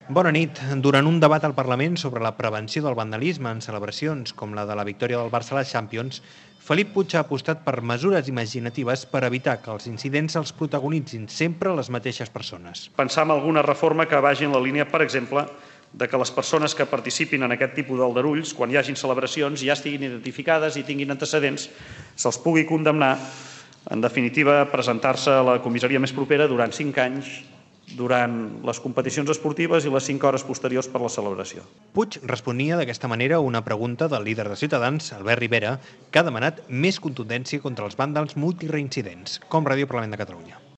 Bona nit. Durant un debat al Parlament sobre la prevenció del vandalisme en celebracions com la de la victòria del Barça a la Champions, Felip Puig ha apostat per mesures imaginatives per evitar que els incidents els protagonitzin sempre les mateixes persones. Pensar en alguna reforma que vagi en la línia, per exemple, de que les persones que participin en aquest tipus d'aldarulls, quan hi hagin celebracions, ja estiguin identificades i tinguin antecedents, se'ls pugui condemnar, en definitiva, presentar-se a la comissaria més propera durant 5 anys, durant les competicions esportives i les 5 hores posteriors per la celebració. Puig responia d'aquesta manera a una pregunta del líder de Ciutadans, Albert Rivera, que ha demanat més contundència contra els vàndals multireincidents, com Ràdio Parlament de Catalunya.